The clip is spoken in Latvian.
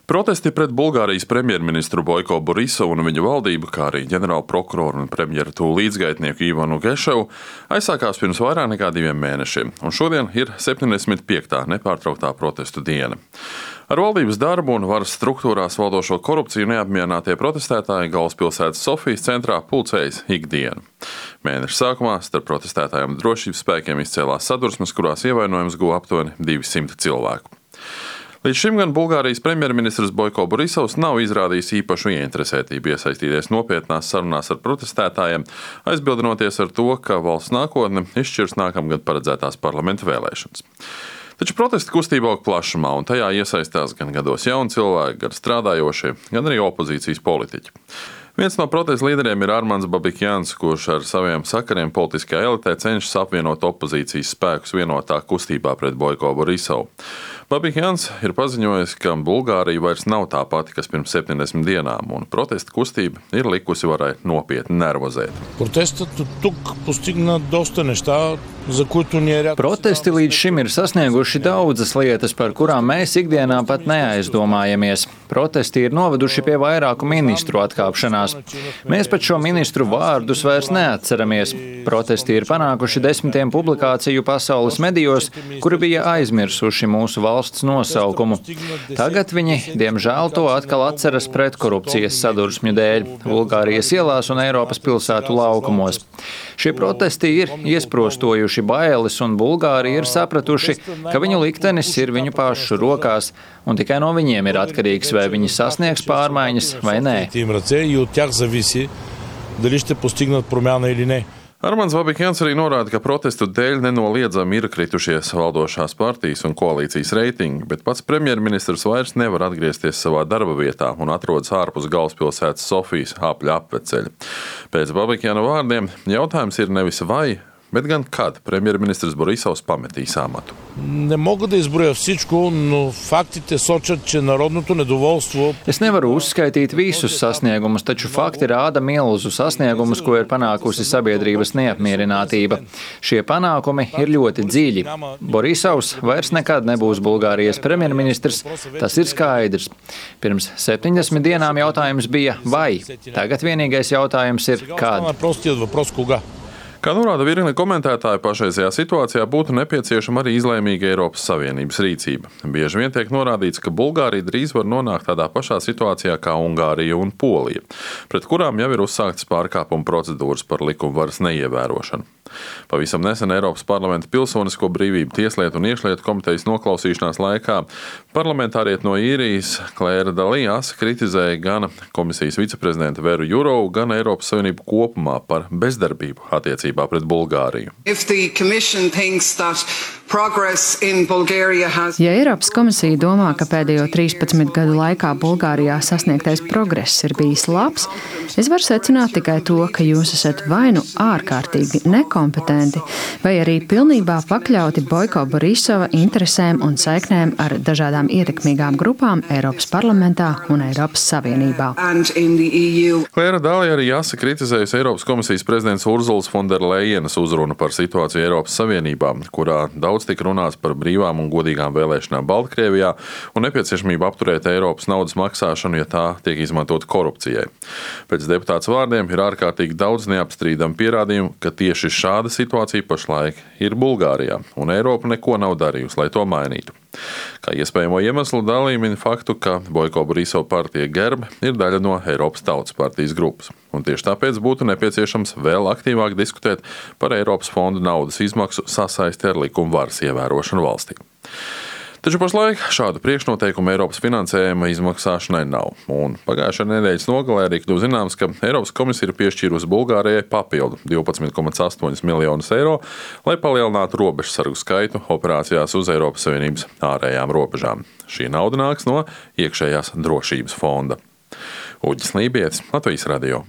Protesti pret Bulgārijas premjerministru Boiko Borisovu un viņa valdību, kā arī ģenerāla prokuroru un premjera tūlu līdzgaitnieku Ivanu Geševu, aizsākās pirms vairāk nekā 2 mēnešiem, un šodien ir 75. nepārtrauktā protestu diena. Ar valdības darbu un varas struktūrās valdošo korupciju neapmierinātie protestētāji galvaspilsētas Sofijas centrā pulcējas ikdienu. Mēneša sākumā starp protestētājiem un drošības spēkiem izcēlās sadursmes, kurās ievainojums guva aptuveni 200 cilvēku. Līdz šim gan Bulgārijas premjerministrs Boiko Borisovs nav izrādījis īpašu ieinteresētību iesaistīties nopietnās sarunās ar protestētājiem, aizbildinoties ar to, ka valsts nākotne izšķirs nākamgad paredzētās parlamenta vēlēšanas. Taču protesta kustība aug plašumā, un tajā iesaistās gan gados jauni cilvēki, gan strādājošie, gan arī opozīcijas politiķi. Viens no protesta līderiem ir Armands Babikjans, kurš ar saviem sakariem politiskajā elitē cenšas apvienot opozīcijas spēkus vienotā kustībā pret Boiko Borisovu. Babikjans ir paziņojis, ka Bulgārija vairs nav tā pati, kas pirms 70 dienām, un protesta kustība ir likusi varai nopietni nervozēt. Protesti līdz šim ir sasnieguši daudzas lietas, par kurām mēs ikdienā pat neaizdomājamies. Protesti ir noveduši pie vairāku ministru atkāpšanās. Mēs pat šo ministru vārdus vairs neatceramies. Protesti ir panākuši 10 publikāciju pasaules medijos, kuri bija aizmirsuši mūsu valsts nosaukumu. Tagad viņi, diemžēl, to atkal atceras pretkorupcijas sadursmju dēļ Bulgārijas ielās un Eiropas pilsētu laukumos. Šie protesti ir iesprostojuši bailes, un Bulgāri ir sapratuši, ka viņu liktenis ir viņu pašu rokās, un tikai no viņiem ir atkarīgs, vai viņi sasniegs pārmaiņas vai nē. Armands Babikjans arī norāda, ka protestu dēļ nenoliedzami ir kritušies valdošās partijas un koalīcijas reitingi, bet pats premjerministrs vairs nevar atgriezties savā darba vietā un atrodas ārpus galvaspilsētas Sofijas apļa apveceļa. Pēc Babikjana vārdiem jautājums ir nevis vai, bet gan kad premjerministrs Borisovs pametīs amatu. Es nevaru uzskaitīt visus sasniegumus, taču fakti rāda milzu sasniegumus, ko ir panākusi sabiedrības neapmierinātība. Šie panākumi ir ļoti dziļi. Borisovs vairs nekad nebūs Bulgārijas premjerministrs, tas ir skaidrs. Pirms 70 dienām jautājums bija vai. Tagad vienīgais jautājums ir kad. Kā norāda virkne komentētāju, pašreizajā situācijā būtu nepieciešama arī izlēmīga Eiropas Savienības rīcība. Bieži vien tiek norādīts, ka Bulgārija drīz var nonākt tādā pašā situācijā kā Ungārija un Polija, pret kurām jau ir uzsāktas pārkāpuma procedūras par likumvaras neievērošanu. Pavisam nesen Eiropas parlamenta Pilsonisko brīvību tieslietu un iekšlietu komitejas noklausīšanās laikā parlamentāriete no Īrijas Klēra Dalijas kritizēja gan komisijas viceprezidenta Veru Jurovu, gan Eiropas Savienību kopumā par bezdarbību attiecībā pret Bulgāriju. Ja Eiropas komisija domā, ka pēdējo 13 gadu laikā Bulgārijā sasniegtais progress ir bijis labs, es varu secināt tikai to, ka jūs esat vai nu ārkārtīgi nekompetenti, vai arī pilnībā pakļauti Boiko Borisova interesēm un saiknēm ar dažādām ietekmīgām grupām Eiropas parlamentā un Eiropas Savienībā. Klēra Dalija arī kritizējusi Eiropas komisijas prezidents Urzulas Fonderlejenas uzrunu par situāciju Eiropas Savienībā, kurā daudz tika runāts par brīvām un godīgām vēlēšanām Baltkrievijā un nepieciešamību apturēt Eiropas naudas maksāšanu, ja tā tiek izmantot korupcijai. Pēc deputāts vārdiem ir ārkārtīgi daudz neapstrīdamu pierādījumu, ka tieši šāda situācija pašlaik ir Bulgārijā, un Eiropa neko nav darījusi, lai to mainītu. Kā iespējamo iemeslu Dalija min faktu, ka Boiko Borisova partija GERB ir daļa no Eiropas Tautas partijas grupas, un tieši tāpēc būtu nepieciešams vēl aktīvāk diskutēt par Eiropas fondu naudas izmaksu sasaisti ar likuma varas ievērošanu valstī. Taču pašlaik šādu priekšnoteikumu Eiropas finansējuma izmaksāšanai nav, un pagājušā nedēļas nogalē arī kļuva zināms, ka Eiropas komisija ir piešķīrusi Bulgārijai papildu 12,8 miljonus eiro, lai palielinātu robežsargu skaitu operācijās uz Eiropas Savienības ārējām robežām. Šī nauda nāks no iekšējās drošības fonda. Uģis Lībietis, Latvijas radio.